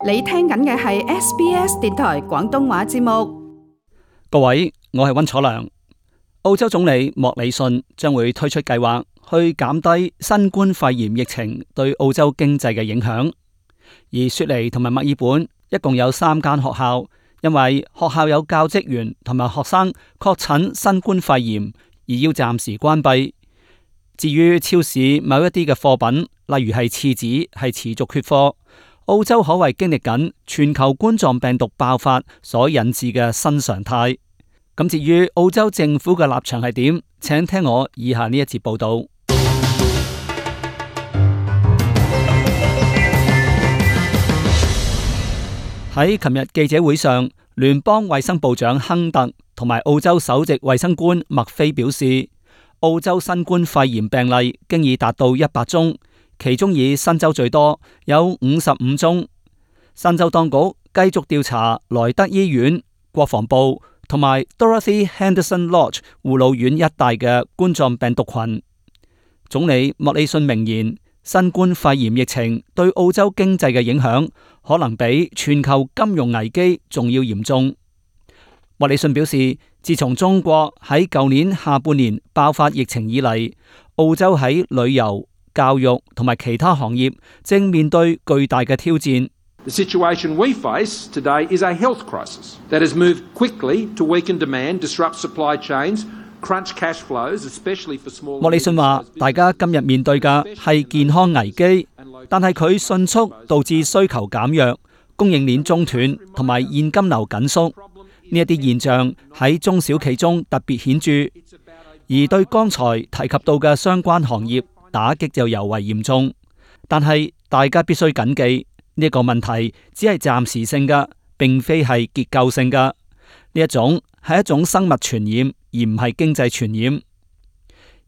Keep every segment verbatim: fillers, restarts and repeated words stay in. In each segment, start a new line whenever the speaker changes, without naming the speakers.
你聽緊嘅係 S B S 電台廣東話節目。
各位，我係溫楚良。澳洲總理莫里遜將會推出計劃去減低新冠肺炎疫情對澳洲經濟嘅影響。而雪梨同埋墨爾本一共有三間學校，因為學校有教職員同埋學生確診新冠肺炎，而要暫時關閉。至於超市某一啲嘅貨品，例如係廁紙，係持續缺貨。澳洲可謂經歷緊全球冠狀病毒爆發所引致嘅新常態。咁至於澳洲政府嘅立場係點？請聽我以下呢一節報道。喺琴日記者會上，聯邦衛生部長亨特同埋澳洲首席衛生官麥菲表示，澳洲新冠肺炎病例經已達到一百宗。其中以新州最多，有五十五宗。新州當局繼續調查萊德醫院、國防部同埋 Dorothy Henderson Lodge 護老院一帶嘅冠狀病毒群。總理莫里遜明言，新冠肺炎疫情對澳洲經濟嘅影響可能比全球金融危機仲要嚴重。莫里遜表示，自從中國喺舊年下半年爆發疫情以嚟，澳洲喺旅遊、教育同埋其他行業正面對巨大嘅挑戰。
The situation we face today is a health crisis that has moved quickly to weaken demand, disrupt supply chains, crunch cash flows, especially for small.
莫里遜話：大家今日面對嘅係健康危機，但係佢迅速導致需求減弱、供應鏈中斷同埋現金流緊縮。呢一啲現象喺中小企中特別顯著，而對剛才提及到嘅相關行業，打擊就尤為嚴重，但係大家必須謹記呢個問題只係暫時性嘅，並非係結構性嘅。呢一種係一種生物傳染，而唔係經濟傳染。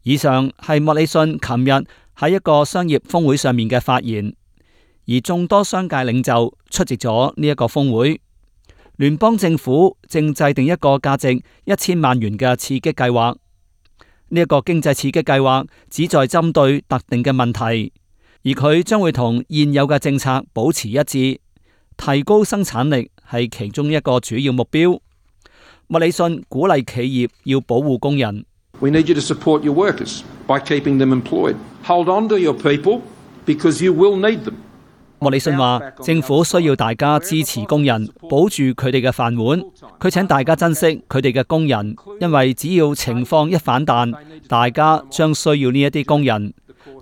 以上係莫里遜琴日喺一個商業峰會上面嘅發言，而眾多商界領袖出席咗呢一個峰會。聯邦政府正制定一個價值一千萬元嘅刺激計劃。呢一個經濟刺激計劃旨在針對特定嘅問題，而佢將會同現有嘅政策保持一致，提高生產力係其中一個主要目標。莫里遜鼓勵企業要保護工人。
We need you to support your workers by keeping them employed. Hold on to your people because you will need them.
莫里遜話：政府需要大家支持工人，保住佢哋嘅飯碗。佢請大家珍惜佢哋嘅工人，因為只要情況一反彈，大家將需要呢一啲工人。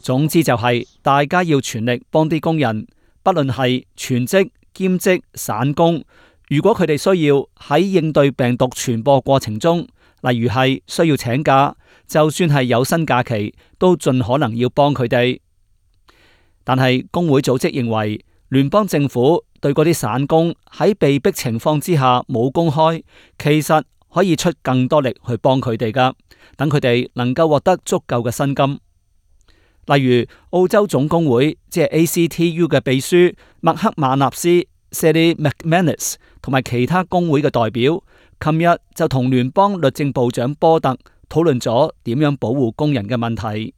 總之就係大家要全力幫啲工人，不論係全職、兼職、散工。如果佢哋需要喺應對病毒傳播過程中，例如係需要請假，就算係有薪假期，都盡可能要幫佢哋。但係工會組織認為，聯邦政府對嗰啲散工喺被逼情況之下冇工開，其實可以出更多力去幫佢哋噶，等佢哋能夠獲得足夠嘅薪金。例如澳洲總工會即係 A C T U 嘅秘書麥克馬納斯 Sally McManus 同埋其他工會嘅代表，琴日就同聯邦律政部長波特討論咗點樣保護工人嘅問題。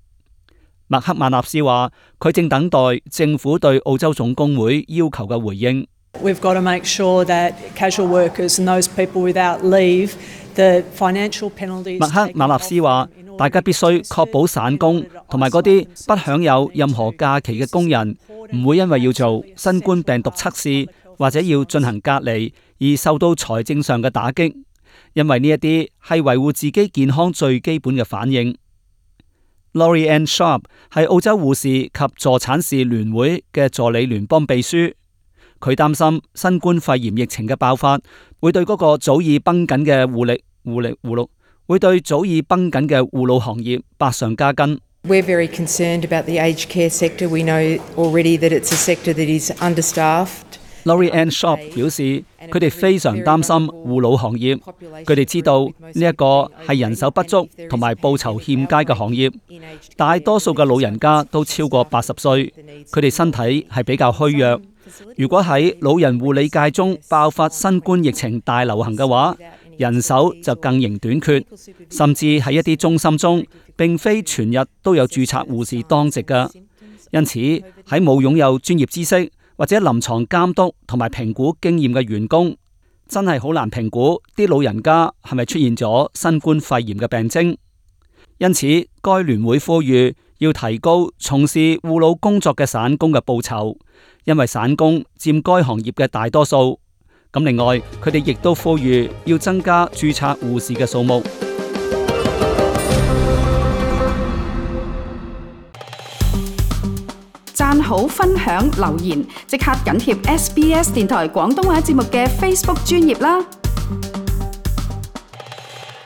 麥克馬納斯話：佢正等待政府對澳洲總工會要求嘅回應。
We've got to make sure that casual workers and those people without leave, the financial penalties.
麥克馬納斯話：大家必須確保散工同埋嗰啲不享有任何假期嘅工人，唔會因為要做新冠病毒測試或者要進行隔離而受到財政上嘅打擊，因為呢一啲係維護自己健康最基本嘅反應。Laurie Ann Sharp 係澳洲護士及助產士聯會嘅助理聯邦秘書，佢擔心新冠肺炎疫情嘅爆發會對嗰個早已繃緊嘅護理護理護老會對早已繃緊嘅護老行業百上加斤。
We're very concerned about the aged care sector. We know already that it's a sector that is understaffed.Laurie
Ann Sharp 表示，佢哋非常擔心護老行業。佢哋知道呢一個係人手不足同埋報酬欠佳嘅行業，大多數嘅老人家都超過八十歲，佢哋身體係比較虛弱。如果喺老人護理界中爆發新冠疫情大流行嘅話，人手就更形短缺，甚至喺一啲中心中，並非全日都有註冊護士當值㗎。因此喺冇擁有專業知識或者臨床監督同埋評估經驗嘅員工，真係好難評估啲老人家係咪出現咗新冠肺炎嘅病徵。因此，該聯會呼籲要提高從事護老工作嘅散工嘅報酬，因為散工佔該行業嘅大多數。咁另外，佢哋亦都呼籲要增加註冊護士嘅數目。
讚好、分享、留言，即刻緊貼 S B S 電台廣東話節目嘅 Facebook 專頁啦！